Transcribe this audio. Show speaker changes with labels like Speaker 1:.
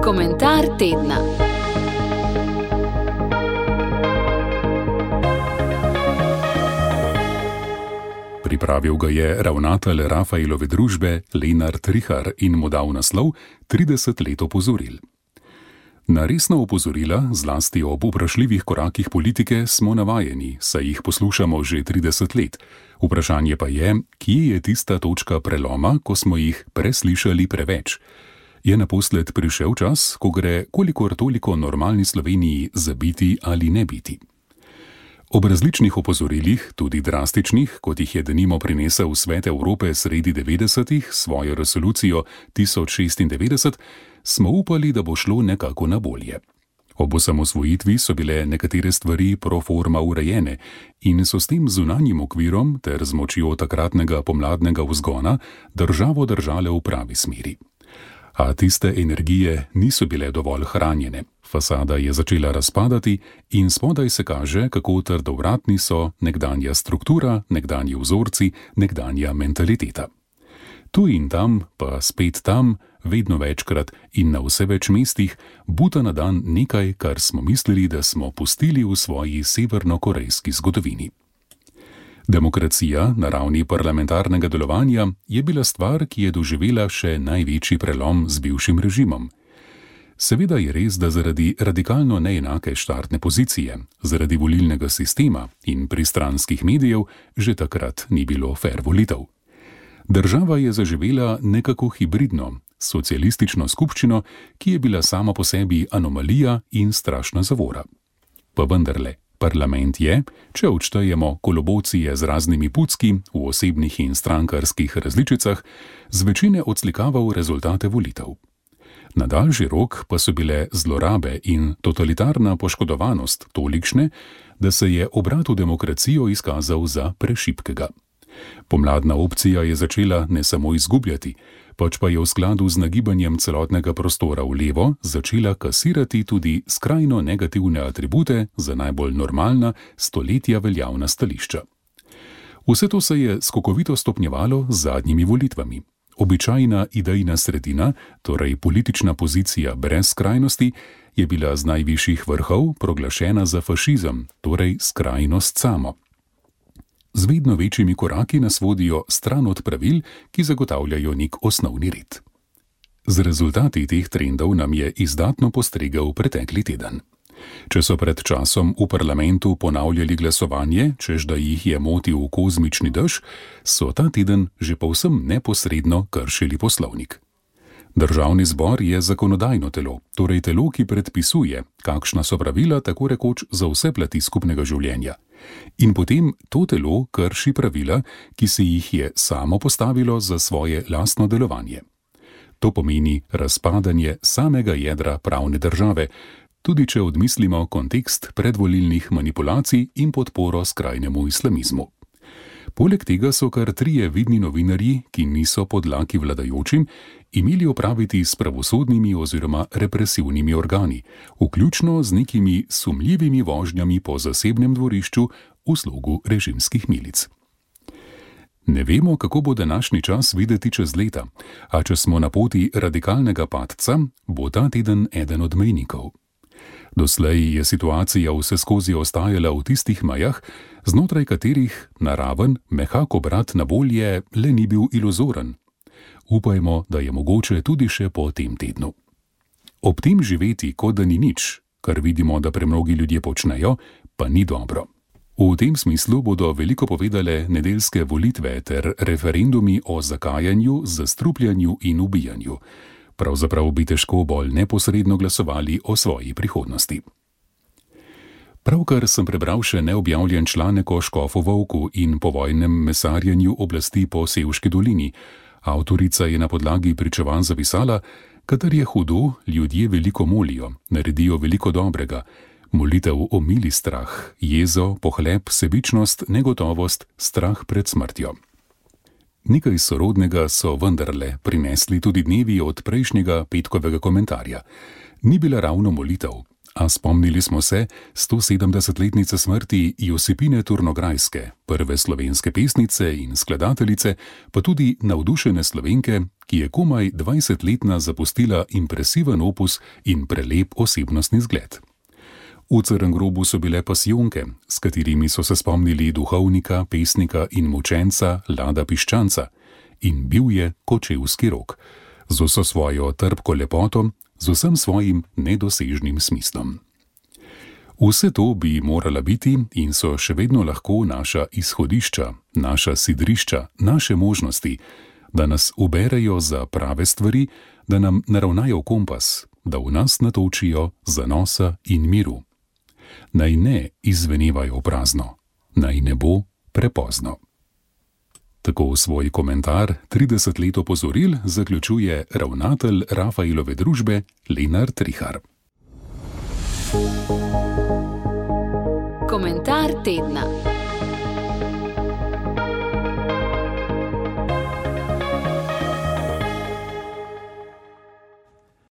Speaker 1: Komentar tedna.
Speaker 2: Pripravil ga je ravnatelj Rafaelove družbe Lenart Rihar in mu dal naslov 30 let opozoril. Na resna opozorila, zlasti ob vprašljivih korakih politike, smo navajeni, saj jih poslušamo že 30 let. Vprašanje pa je, kje je tista točka preloma, ko smo jih preslišali preveč. Je naposled prišel čas, ko gre kolikor toliko normalni Sloveniji zabiti ali ne biti. Ob različnih opozorilih, tudi drastičnih, kot jih je denimo prinesel Svet Evrope sredi 90-ih svojo resolucijo 1096, smo upali, da bo šlo nekako na bolje. Ob osamosvojitvi so bile nekatere stvari pro forma urejene in so s tem zunanjim okvirom ter z močjo takratnega pomladnega vzgona državo držale v pravi smeri. A tiste energije niso bile dovolj hranjene. Fasada je začela razpadati in spodaj se kaže, kako trdovratni so nekdanja struktura, nekdanji vzorci, nekdanja mentaliteta. Tu in tam, pa spet tam, vedno večkrat in na vse več mestih, buta na dan nekaj, kar smo mislili, da smo pustili v svoji severnokorejski zgodovini. Demokracija na ravni parlamentarnega delovanja je bila stvar, ki je doživela še največji prelom z bivšim režimom. Seveda je res, da zaradi radikalno neenake štartne pozicije, zaradi volilnega sistema in pristranskih medijev že takrat ni bilo fer volitev. Država je zaživela nekako hibridno, socialistično skupščino, ki je bila sama po sebi anomalija in strašna zavora. Pa vendarle, parlament je, če odštejemo kolobocije z raznimi pucki v osebnih in strankarskih različicah, z večine odslikaval rezultate volitev. Na daljši rok pa so bile zlorabe in totalitarna poškodovanost tolikšne, da se je obrat v demokracijo izkazal za prešibkega. Pomladna opcija je začela ne samo izgubljati, pač pa je v skladu z nagibanjem celotnega prostora v levo začela kasirati tudi skrajno negativne atribute za najbolj normalna, stoletja veljavna stališča. Vse to se je skokovito stopnjevalo z zadnjimi volitvami. Običajna idejna sredina, torej politična pozicija brez skrajnosti, je bila z najvišjih vrhov proglašena za fašizem, torej skrajnost samo. Z vedno večjimi koraki nas vodijo stran od pravil, ki zagotavljajo nek osnovni red. Z rezultati teh trendov nam je izdatno postregel pretekli teden. Če so pred časom v parlamentu ponavljali glasovanje, čež da jih je motil kozmični dež, so ta teden že povsem neposredno kršili poslovnik. Državni zbor je zakonodajno telo, torej telo, ki predpisuje, kakšna so pravila tako rekoč za vse plati skupnega življenja. In potem to telo krši pravila, ki se jih je samo postavilo za svoje lastno delovanje. To pomeni razpadanje samega jedra pravne države, tudi če odmislimo kontekst predvolilnih manipulacij in podporo skrajnemu islamizmu. Poleg tega so kar 3 vidni novinarji, ki niso podlaki vladajočim, imeli opraviti s pravosodnimi oziroma represivnimi organi, vključno z nekimi sumljivimi vožnjami po zasebnem dvorišču v slogu režimskih milic. Ne vemo, kako bo današnji čas videti čez leta, a če smo na poti radikalnega padca, bo ta teden eden od mejnikov. Doslej je situacija vseskozi ostajala v tistih mejah, znotraj katerih naraven, mehak obrat na bolje le ni bil iluzoren. Upajmo, da je mogoče tudi še po tem tednu. Ob tem živeti, kot da ni nič, kar vidimo, da premnogi ljudje počnejo, pa ni dobro. V tem smislu bodo veliko povedale nedeljske volitve ter referendumi o zakajanju, zastrupljanju in ubijanju. Pravzaprav bi težko bolj neposredno glasovali o svoji prihodnosti. Pravkar sem prebral še neobjavljen članek o škofu Volku in povojnem mesarjenju oblasti po Sevški dolini. Avtorica je na podlagi pričevanj zapisala, kadar je hudo, ljudje veliko molijo, naredijo veliko dobrega. Molitev omili strah, jezo, pohlep, sebičnost, negotovost, strah pred smrtjo. Nekaj sorodnega so vendarle prinesli tudi dnevi od prejšnjega petkovega komentarja. Ni bila ravno molitev, A spomnili smo se 170-letnice smrti Josipine Turnograjske, prve slovenske pesnice in skladateljice, pa tudi navdušene Slovenke, ki je komaj 20-letna zapustila impresiven opus in prelep osebnostni zgled. V Crnem grobu so bile pasijonke, s katerimi so se spomnili duhovnika, pesnika in mučenca Lada Piščanca, in bil je kočevski rok, z vso svojo trpko lepoto, z vsem svojim nedosežnim smislom. Vse to bi morala biti in so še vedno lahko naša izhodišča, naša sidrišča, naše možnosti, da nas uberejo za prave stvari, da nam naravnajo kompas, da v nas natočijo zanosa in miru. Naj ne izvenevajo prazno, naj ne bo prepozno. Tako svoj komentar 30 let opozoril zaključuje ravnatelj Rafaelove družbe Lenart Rihar.
Speaker 1: Komentar tedna.